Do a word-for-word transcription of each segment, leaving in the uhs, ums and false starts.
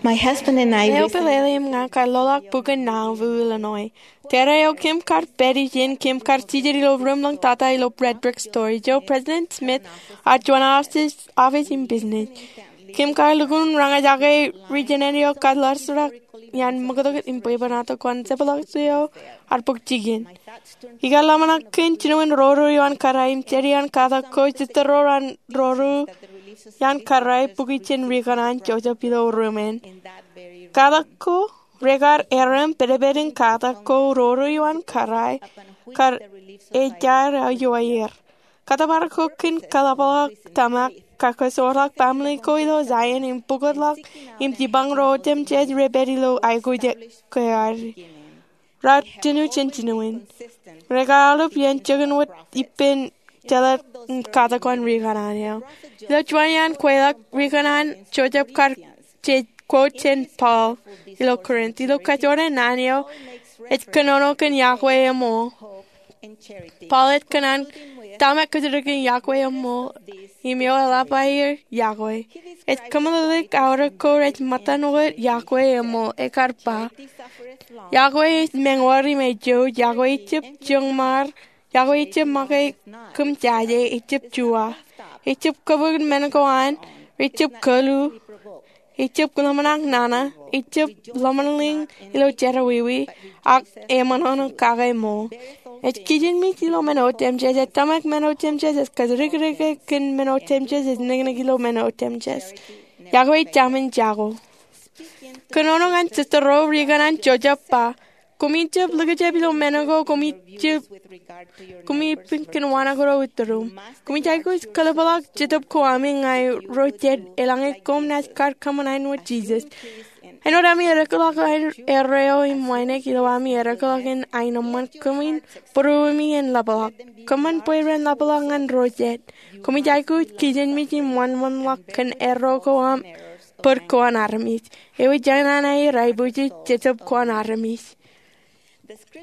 Eo pālele im ña kar loḷọk bukun Nauvoo, Illinois. Tōre eo kōm kar pād ijin, kōm kar jijet ilo ruumḷọk tata ilo Red Brick Store. Ijo President Smith ear juon office im business. Kōm kar lukkuun roñjake ri-jenet eo kar ḷarsrak iaan ṃōktok im bwebwenato kōn jepḷaak eo ear bōk jikin. Ikar ḷōmṇak kōn jinoin roro ioon kōrā im jet iaan katak ko, jitōn ro an roro ioon kōrā, bukwi jān ri kōṇaan Joseph ilo ruumen. Katak ko, rekar erom pedped in katak ko roro ioon kōrā kar ejaer aō ioer. Kōttōpar ko kōn kaḷapḷọk tōmak, kar kasoorḷọk baaṃle ko ilo Zion im pukotḷọk im jipañ ro otemjej rej pād ilo aikuj ke ad. Raar tūnū jān jinoin. Rekar aolep iien jikin wōt ippān jeḷā katak ko an ri kōṇaan eo. Ilo juon iaan kweilọk, ri kōṇaan Joseph kar jej quote jān Paul ilo Corinth. Ilo kajoor an naan eo, ej kōnono kōn iọkwe eṃool. Paul ej kōṇaan tōmak kōjatdikdik in iọkwe eṃool im eo eḷap aer iọkwe. Ej kōmeḷeḷeik aorōk ko rej ṃōttan wōt iọkwe eṃool, ekar ba, iọkwe ej meñoor im ejouj, iọkwe ejjab joñmaar, iọkwe ejjab make kōm jaje, ejjab juwa, ejjab kōbōk men ko an, ejjab kōlu, ejjab ḷōmṇak nana, ejjab ḷōmṇak ilo jerọwiwi, ak eṃōṇōṇō kake ṃool. Ej kijenmej ilo men otemjej, ej tōmak men otemjej, ej kōjatdikdik kōn men otemjej, ej niknik ilo men otemjej. Iọkwe ej taṃen jako. Kōnono ñan jitōnro, ri kōṇaan Joseph ba, koṃij jab likjab ilo men ko koṃij ippān kōn waṇakro itūrūṃ. Koṃij aikuj kaḷapḷọk Jetōb ko ami ñan ro jet eḷaññe koṃ naaj kar kōṃṃan aenwōt Jisōs. Āinwōt ami eddekḷọk erreo im wānōk, ilo ami eddekḷọk in aenōṃṃan, kōmin būruemi en ḷapḷọk. Kōṃṃan bwe ren ḷapḷọk ñan ro jet. Koṃij aikuj kijenmej im wōnṃaanḷọk kōn erro ko aṃ bōd ko an armej. Ewi jān an aer aikuji Jetōb ko an armej.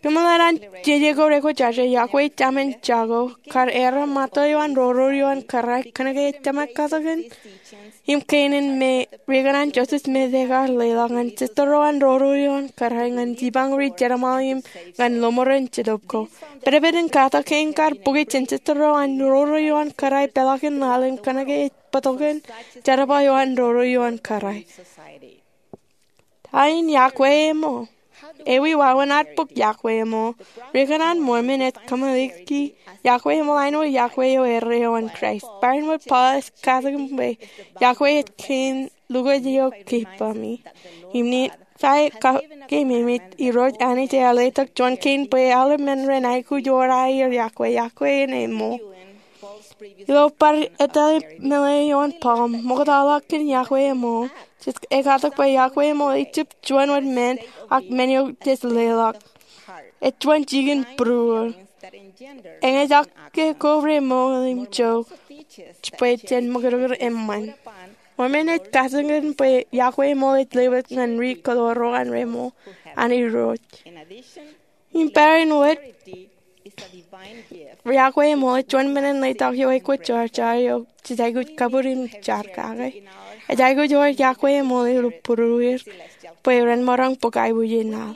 Kōmeḷeḷe an jeje ko rekwōjarjar, iọkwe ej taṃen jako, kar erom ṃōttan ro ioon kōrā, kōnke ej tōmak katakin im kein in me ri kōṇaan Joseph Smith ekar leḷọk ñan jitōnro an roro ioon kōrā ñan jipañ ri jerbal im ñan lọmọọren Jetōb ko. Pedped in katak kein kar bukwi jān jitōnro an roro ioon kōrā peḷaakin laḷ im kōnke ej bōktok in jerbal eo an roro ioon kōrā. Ta in iọkwe eṃool? Ewi wāween ad bōk iọkwe eṃool? Ri kōṇaan Mormon ej kōmāliki iọkwe eṃool āinwōt iọkwe eo erreo an Kraist. Barāinwōt Paul ej katakin bwe iọkwe ej kein lukwōj eo keepami. Im Nifai kakeememej, Irooj Anij ear letok juon kein bwe aolep men ren aikuj ewōr aer iọkwe, iọkwe en eṃool. Ilo bar etale meḷeḷe ioon Paul, ṃoktaḷọk kōn iọkwe eṃool, jej katak bwe iọkwe eṃool ejjab juon wōt men, ak men eo jej leḷọk. Ej juon jikin būruō. Eñejake ko reṃool im jo bwe jen ṃōkdōkd eṃṃan. Mormon ej katakin bwe iọkwe eṃool ej lewōj ñan ri kōtoro an reṃool an Irooj. Im barāinwōt, iọkwe eṃool ej juon men in letok eo ekwōjarjar eo jej aikuj kabūr im jar kake. Ej aikuj ewōr iọkwe eṃool ilo būrueir bwe ren maroñ bōk aiboojoj in laḷ.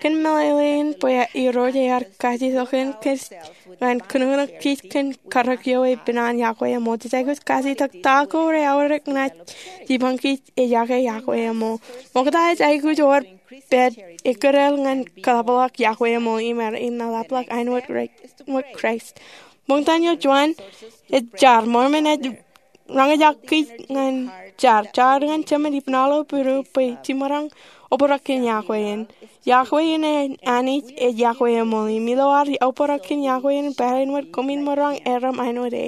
Kōn meḷeḷein bwe Irooj ear kajitok kōn kōn ñan kōnono kōj kōn karōk eo epen an iọkwe eṃool, jej aikuj kajitok ta ko reaorōk naaj jipañ kōj ejake iọkwe eṃool. Ṃokta ej aikuj ewōr pād ekkōtdāl ñan kaḷapḷọk iọkwe eṃool im ear enaḷapḷọk āinwōt Kraist. Ṃokta eo juon ej jar. Mormon ej roñjake kōj ñan jar, jar ñan jemān ipnaḷo būruō bwe jemaroñ obrak kōn iọkwe in. Iọkwe in an Anij ej iọkwe eṃool, im ilo ad obrak kōn iọkwe in barāinwōt koṃwin maroñ erom āinwōt e.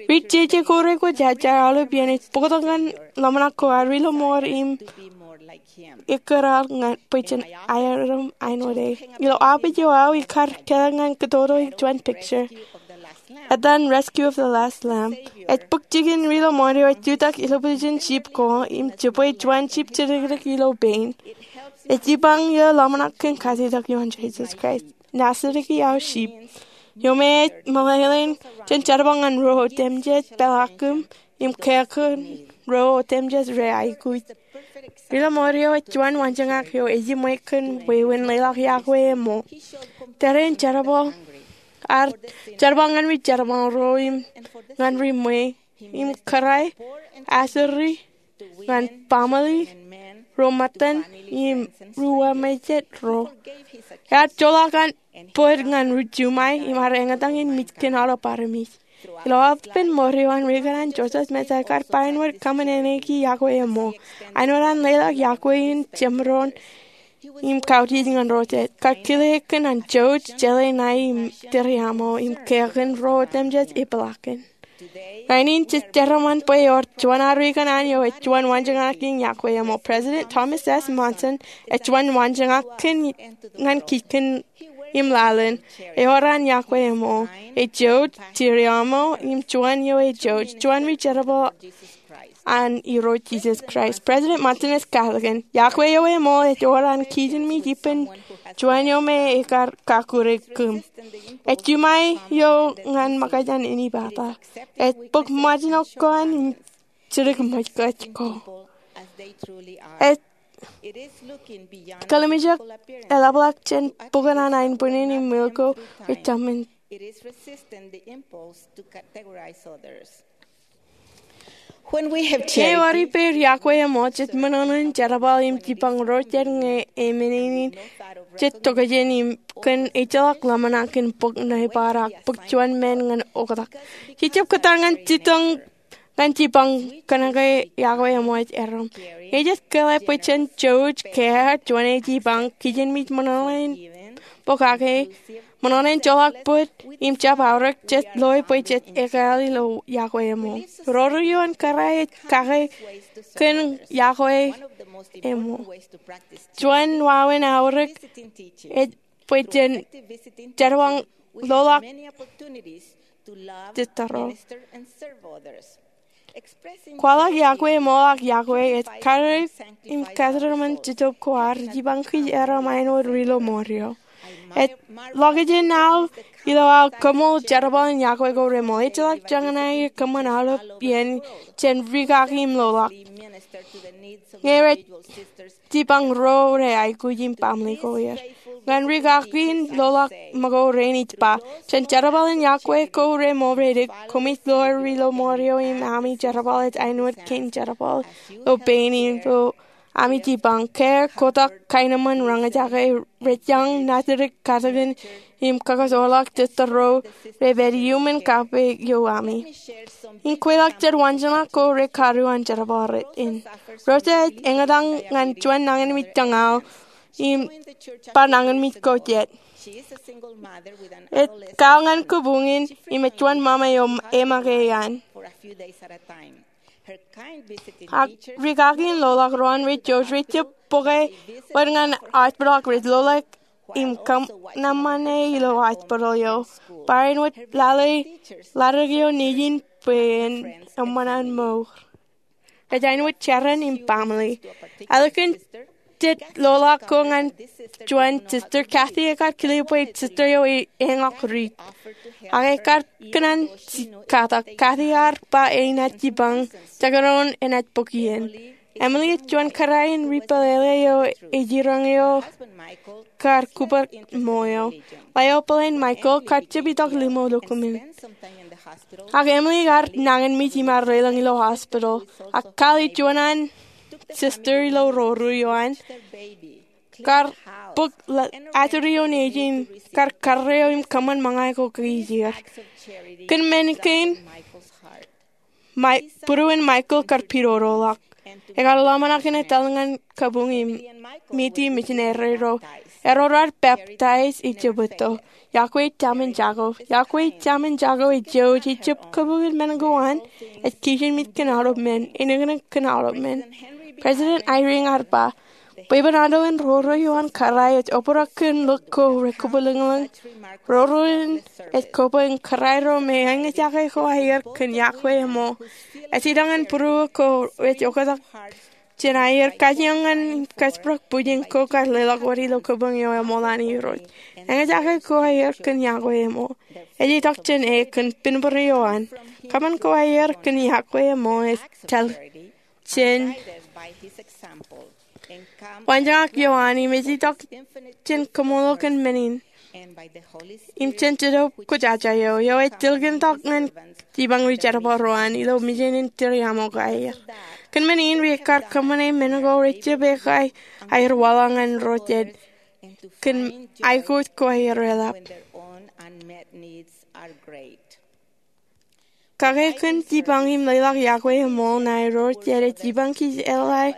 Ri jeje ko rekwōjarjar aolep iien ej bōktok ñan ḷōmṇak ko ad ri lọmọọr im ekkōtdāl ñan bwe jen erom āinwōt e. Ilo aopeej eo aō ikar kāāl ñan kōtōtō juon picture etan Rescue of the Last Lamb. Ej bōk jikin ri lọmọọr eo ej jutak ilo position sheep ko im jibwe juon sheep jidikdik ilo pein. Ej jipañ eo ḷōmṇak kōn kajitok ioon Jisōs Kraist. Nasidiki aō sheep. Eo me ej meḷeḷein jān jerbal ñan ro otemjej, peḷaakin im kōkōn ro otemjej rej aikuj. Rilo mour eo ej juon waanjoñak eo ejiṃwe kōn wāween leḷọk iọkwe eo ṃool. Tōre in jerbal, ear jerbal ñan ri jerbal ro im ñan ri ṃwe, im kōrā, asuri ñan baaṃle ro ṃōttan im ri wāween ro. Ear joḷọk an bōd ñan ri juṃae im ear eñtaan in mej kōn aolep armej. Ilo aolepān mour eo an, Riik eo an Joseph Smith ekar bar āinwōt kōṃṃan āne ki iọkwe eo ṃool. Āinwōt an leḷọk iọkwe in jemdoon im kautiej ñan ro jet, kar kile kōn an jouj, jeḷā ṇae im tūriaṃo im kea kōn ro otemjej epeḷaakin. Ñan in jej determine bwe ewōr juon ariik an eo ej juon waanjoñak in iọkwe eo ṃool. President Thomas S. Monson ej juon waanjoñak kōn ñan kij kōn im laḷ in. Ewōr an iọkwe eo ṃool, ej jouj, tūriaṃo im juon eo ej jouj, juon ri jerbal an Irooj Jisōs Kraist. President Monson ej katakin, iọkwe eo ṃool ej ewōr an kijinmej ippān juon eo me ekar kakure kōm. Ej juṃae eo ñan ṃōkaj an inepata. Ej bōk ṃōjṇọ ko an jidik ṃōj ko. Ej kōḷmānjeḷọk eḷapḷọk jān bukun an aenbwinnin im ṃwil ko rej tōmān. Ñe ewōr ippāer iọkwe eo ṃool, jej ṃōṇōṇō in jerbal im jipañ ro jet ñe eṃṃan in jej tokjān im kōn ejjeḷọk ḷōmṇak in bōk ṇe bar ak bōk juon men ñan oktak. Jej jab kōttar ñan jipañ ñan jipañ kōnke iọkwe eo ṃool ej erom. Ñe jej kōḷḷā bwe jen jouj, kea, juon jipañ, kijinmej ṃōṇōṇō in bōk kake, ṃōṇōṇō in joḷọk bōd, im jab aorōk, jej loe bwe jej ekāāl ilo iọkwe eo ṃool. Roro eo an kōrā ej kake kōn iọkwe eo ṃool. Juon wāween aorōk ej bwe jen jerbal loḷọk jitōro. Kwaḷọk iọkwe, ṃoḷọk iọkwe, ej karreoik im kōtōpar jitōb ko ad jipañ kōj aer ṃae āinwōt ri lo mour eo. Ej ḷọk ijin aō ilo aō koṃṃool jerbal in iọkwe ko reṃool. Ejjeḷọk joñan aer kōṃṃan aolep iien jān rikaki im loḷọk. Ñe rej jipañ ro reaikuj im baaṃle ko er. Ñan rikaki in loḷọk ṃōko rein ij ba, jān jerbal in iọkwe ko reṃool, rej dik koṃij lo ri lo mour eo im ami jerbal ej āinwōt kein jerbal lo pein in lo ami jipañ. Kea, kotak, kaenōṃṃan, roñjake, rej jañ, natidik, katakin im kōkōsoorḷọk jitōro rej pād iuṃwin kape eo ami. Im kweilọk jān waanjoñak ko rekaruo an jerbal in. Rosa ej eñtaan ñan juon nañinmej tañ aō im bar nañinmej ko jet. Ej kau ñan kabuñ in im ej juon ṃaṃa eo eṃōkaj an. Ak rikaki in loḷọk ro an rej jouj, rej jab bōke wōt ñan hospital ak rej loḷọk im kōṃṃane ilo hospital eo. Bar āinwōt lale ḷaddik eo nejin bwe en eṃṃan an mour. Ej āinwōt jeran im baaṃle. Ālikin jet loḷọk ko ñan juon sister, Kathy ekar kile bwe sister eo ej eñọk riit. Ak ekar kōṇaan katak. Kathy ear ba enaaj jipañ, jekdọọn enaaj bōk iien. Emily ej juon kōrā in ri pālele eo ej jiroñ eo kar kūpar ṃo eo. Ḷeo bōlen Michael kar jab itok limo lukkuun. Ak Emily ear nañinmej im ear lelōñ ilo hospital. Ak Carol, juon an sister ilo roro eo an, kar bōk asuri eo nejin, kar karreo im kōṃṃan ṃōñā ko kaki er. Kōn men kein, bwidwin Michael kar pidodoḷọk. Ekar ḷōmṇak in etal ñan kabuñ im miti misineri ro. Erro raar peptaij ijjab etto. Iọkwe ej taṃin jako. Iọkwe ej taṃin jako ej jouj. Ejjab kabuñ in men ko an. Ej kijinmej kōn aolep men. Eniknik kōn aolep men. President Eyring ear ba, bwebwenato in roro eo an kōrā ej obrak kōn lōñ ko rekabwilōñlōñ. Roro in ej koba in kōrā ro me eñjake ko aer kōn iọkwe eo ṃool. Ej itok ñan būruō ko rej oktak jān aer kajjioñ ñan kōjparok bwijin ko kar leḷọk wōt ilo kabuñ eo eṃool an Irooj. Eñjake ko aer kōn iọkwe eo ṃool. Ej itok jān e kōn pinpin eo an. Kōṃṃan ko aer kōn iọkwe eo ṃool ej tōl jān wanjañak ioan im ej itok jān koṃṃool eo kōn men in im jān Jetōb Kwōjarjar eo eo ej tilkintok ñan jipañ ri jerbal ro an ilo mejān in tūriaṃo ko aer. Kōn men in, ri ekkar kōṃṃane men ko rejjab ekkae aer waḷọk ñan ro jet kōn aikuj ko aer eḷap. Kake kōn jipañ im leḷọk iọkwe eṃool ṇae ro jet ej jipañ kōj eḷap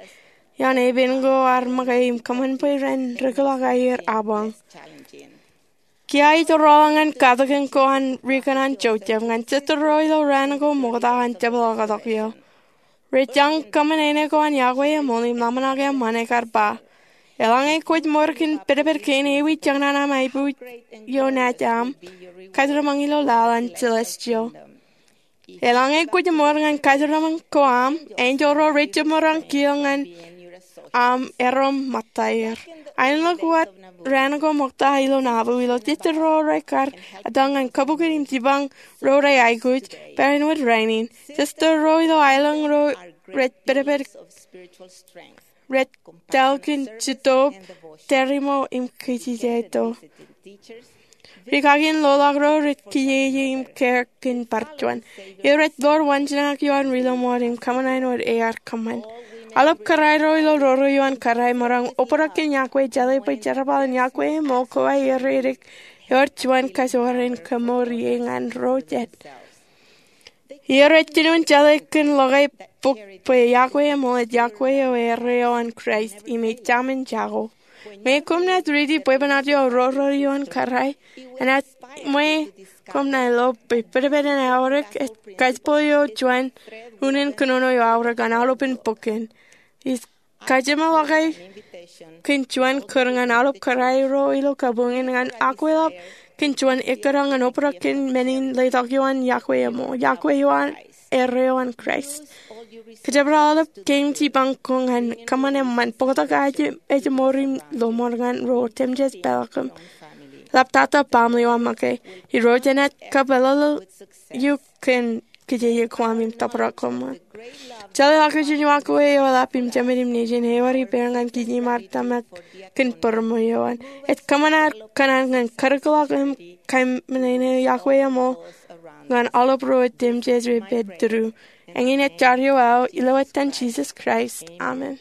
ioon epen ko ar make im kōṃṃan bwe ren rūkḷọk aer abañ. Kiiō ij rọọl ñan katakin ko an ri kōṇaan Joseph ñan sister ro ilo raan ko ṃokta an jepḷaaktok eo. Rej jañ kōṃṃan āne ko an iọkwe eṃool im ḷōmṇak eṃṃan ekar ba, eḷaññe kwōj ṃor kōn pedped kein ewi jeñṇaṇ aṃ aiboojoj eo naaj aṃ, kōjeraṃṃan ilo laḷ an celestial. Eḷaññe kwōj ṃor ñan kōjeraṃṃan ko aṃ, enjeḷ ro rejjab maroñ kiiō ñan aṃ erom ṃōttaer. Aenōḷọk wōt raan ko ṃokta ilo Nauvoo ilo sister ro rekar etal ñan kabukin im jipañ ro reaikuj barāinwōt rainin. Sister ro ilo aelōñ ro rej pedped, rej etal kōn Jetōb, Tōreṃo im Kūjjeto. Ri kaki in loḷọk ro rej kijeje im kōn bar juon. Im rej ḷoor waanjinaak ioon ri ḷōṃaro im kōṃṃan wōt ear kōṃṃan. Aolep kōrā ro ilo roro ioon kōrā maroñ obrak kōn iọkwe, jeḷā bwe jerbal in iọkwe eṃool ko aer ej ewōr juon kajoor in kaṃṃoolol ie ñan ro jet. Im rej jino jeḷā kōn ḷọk bok bwe iọkwe eṃool ej iọkwe eo erreo an Kraist im ej jaṃin jako. Ñe koṃ naaj riiti bwebwenato ro roro ioon kōrā, enaaj ṃwe koṃ ṇae lo bwe pedped in aorōk ej kajjitōk eo juon unin kōnono eo aorōk ñan aolepān bok in. Ij kajeṃḷọke kōn juon kūr ñan aolep kōrā ro ilo kabuñ in ñan akweḷap kōn juon ekkōṇaan ñan obrak kōn men in letok ioon iọkwe eṃool, iọkwe eo an erreo an Kraist. Kōjepel aolep kein jipañ ko ñan kōṃṃan eṃṃan, bōktok aje ej ṃoor im ḷōṃaro ñan ro jemjeje peḷaakin ḷaptata baaṃle eo aṃ make. Irooj enaaj kapeḷḷọk eok kōn kijeje ko aṃ im tōprak koṃ wōt. Jeḷā ḷọkjeṇ eo iọkwe eo eḷap im jemed im nejin ewōr ippān ñan kij im ad tōmak kōn bōrōṃ eo an. Ej kōṃṃan ad kōṇaan ñan karūkḷọk im kōṃṃane iọkwe eṃool ñan aolep ro jemjeje rej pād tōre. Eñin ej jar eo aō ilo etan Jisōs Kraist, amen.